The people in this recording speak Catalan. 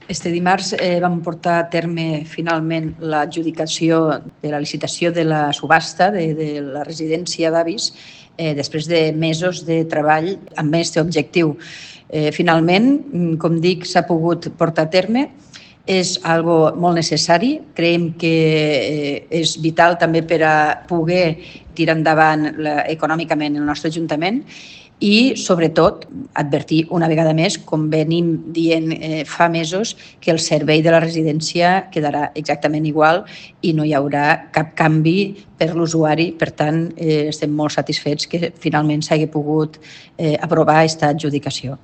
Este dimarts vam portar a terme finalment l'adjudicació de la licitació de la subhasta de la residència d'avis després de mesos de treball amb aquest objectiu. Finalment, com dic, s'ha pogut portar a terme. És algo molt necessari. Creiem que és vital també per a poder tirar endavant econòmicament el nostre Ajuntament i, sobretot, advertir una vegada més, com venim dient fa mesos, que el servei de la residència quedarà exactament igual i no hi haurà cap canvi per l'usuari. Per tant, estem molt satisfets que finalment s'hagi pogut aprovar aquesta adjudicació.